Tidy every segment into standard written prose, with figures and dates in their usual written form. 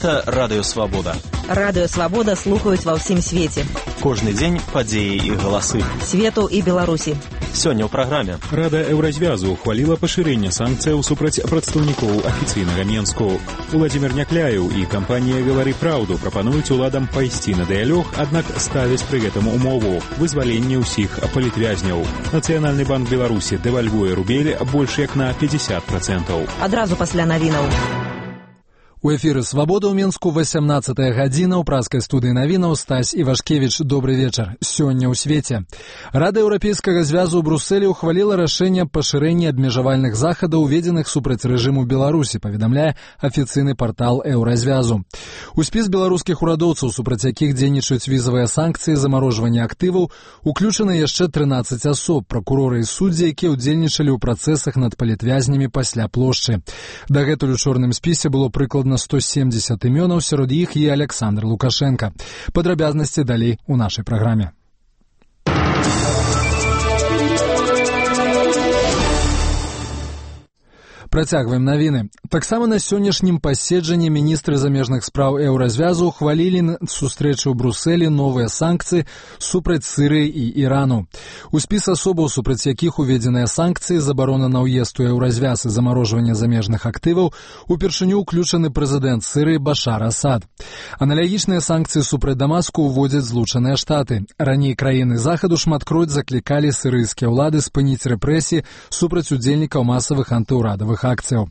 Гэта Радыё Свабода. Радыё Свабода слухаюць ва ўсім свеце. Кожны дзень падзеі і галасы. Свету і Беларусі. Сёння ў праграме. Рада Еўразвязу ухваліла пашырэнне санкцыяў супраць прадстаўнікоў афіцыйнага Менску. Уладзімір Някляеў і кампанія «Гавары праўду» прапануюць уладам пайсці на дыялог, аднак ставяць пры гэтым умову – вызваленне ўсіх палітвязняў. Нацыянальны банк Беларусі дэвальвуе рубель больш як на 50%. Адразу пасля навінаў. У эфіры «Свабода» ў Менску 18-я гадзіна. У праскай студыі навінаў Стась Івашкевіч. Добры вечар. Сёння ў свеце. Рада Еўрапейскага звязу ў Брусэлі ухваліла рашэнне пашырэння абмежавальных захадаў, уведзеных супраць рэжыму Беларусі, паведамляе афіцыйны партал Еўразвязу. У спіс беларускіх урадоўцаў, супраць якіх дзейнічаюць візавыя санкцыі, замарожвання актываў, уключаны яшчэ 13 асоб, пракуроры і суддзі, якія ўдзельнічалі ў працэсах над палітвязнямі пасля плошчы. Дагэтуль у чорным спісе было прыкладна 170 імёнаў, сярод іх і Александр Лукашенко. Падрабязнасці далей у нашай праграме. Працягваем навіны. Таксама на сённяшнім паседжанні міністры замежных спраў Еўразвязу ухвалілі сустрэчы ў Брусэлі новыя санкцыі супраць Сірыі і Ірану. У спіс асобаў, супраць якіх уведзеныя санкцыі, забарона на ўезд у Еўразвяз і замарожванне замежных актываў, упершыню ўключаны прэзідэнт Сірыі Башар Асад. Аналагічныя санкцыі супраць Дамаску ўводзяць Злучаныя Штаты. Раней краіны захаду шматкроць заклікалі сірыйскія ўлады спыніць рэпрэсіі супраць удзельнікаў масавых антыўрадавых акцыяў.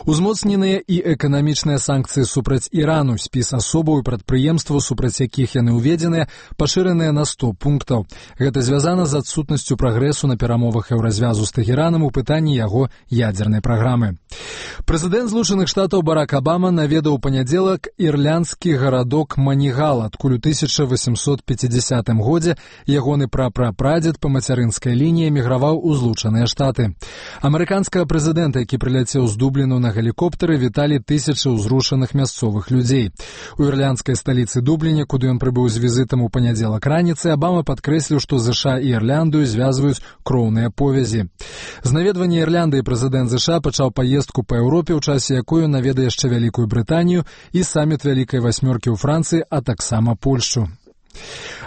Узмоцненыя і эканамічныя санкцыі супраць Ірану, спіс асобаў і прадпрыемстваў, супраць якіх яны ўведзеныя, пашыраныя на 100 пунктаў. Гэта звязана з адсутнасцю прагрэсу на перамовах Еўразвязу з Тэхеранам у пытанні яго ядзернай праграмы. Прэзідэнт Злучаных Штатаў Барак Абама наведаў у панядзелак ірландскі гарадок Манігал, адкуль у 1850 годзе ягоны прапрапрадзед па мацярынскай лініі эміграваў у Злучаныя Штаты. Амерыканскага прэзідэнта, які прыляцеў з Дубліну на гелікоптары, віталі тысячы ўзрушаных мясцовых людзей. У ірландскай сталіцы Дубліне, куды ён прыбыў з візітам у панядзелак раніцай, Абама падкрэсліў, што ЗША і Ірландыю звязваюць кроўныя повязі. З наведвання Ірландыі прэзідэнт ЗША пачаў паездку па Еўропе, у часе якой ён наведае яшчэ Вялікую Брытанію і саміт Вялікай васьмёркі ў Францыі, а таксама Польшчу.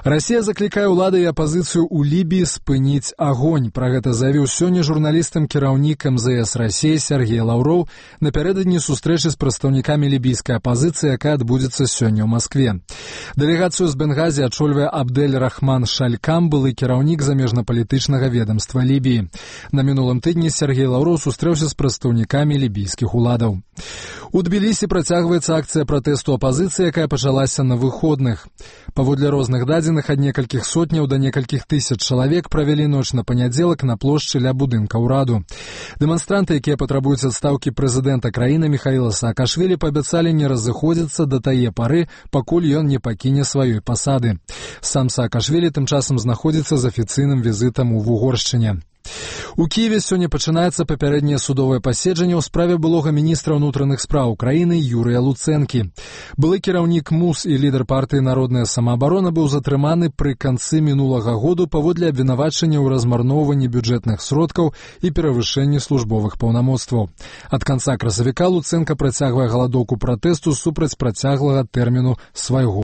Расія заклікае ўлады і апазіцыю ў Лібіі спыніць агонь. Пра гэта заявіў сёння журналістам кіраўнік МЗС Расіі Сергей Лаўроў напярэдадні сустрэчы з прадстаўнікамі лібійскай апазіцыі, якая адбудзецца сёння ў Маскве. Дэлегацыю з Бенгазі ачольвае Абдель-Рахман Шалькам, былы кіраўнік замежнапалітычнага ведамства Лібіі. На мінулым тыдні Сергей Лаўроў сустрэўся з прадстаўнікамі лібійскіх уладаў. У Тбілісі працягваецца акцыя пратэсту апазіцыі, якая пачалася на выходных. Паводле розных дадзеных, ад некалькіх сотняў да некалькіх тысяч чалавек правялі ноч на панядзелак на плошчы ля будынка ўраду. Дэманстранты, якія патрабуюць адстаўкі прэзідэнта краіны Міхаіла Саакашвілі, паабяцалі не разыходзіцца да тае пары, пакуль ён не пакіне сваёй пасады. Сам Саакашвілі тым часам знаходзіцца з афіцыйным візітам у Вугоршчыне. У Кіеве сёння пачынаецца папярэдняе судовае паседжанне ў справе былога міністра ўнутраных спраў краіны Юрыя Луцэнкі. Былы кіраўнік МУС і лідар партыі «Народная самаабарона» быў затрыманы пры канцы мінулага году паводле абвінавачання ў размарноўванні бюджэтных сродкаў і перавышэнні службовых паўнамоцтваў. Ад канца красавіка Луцэнка працягвае галадоўку пратэсту супраць працяглага тэрміну свайго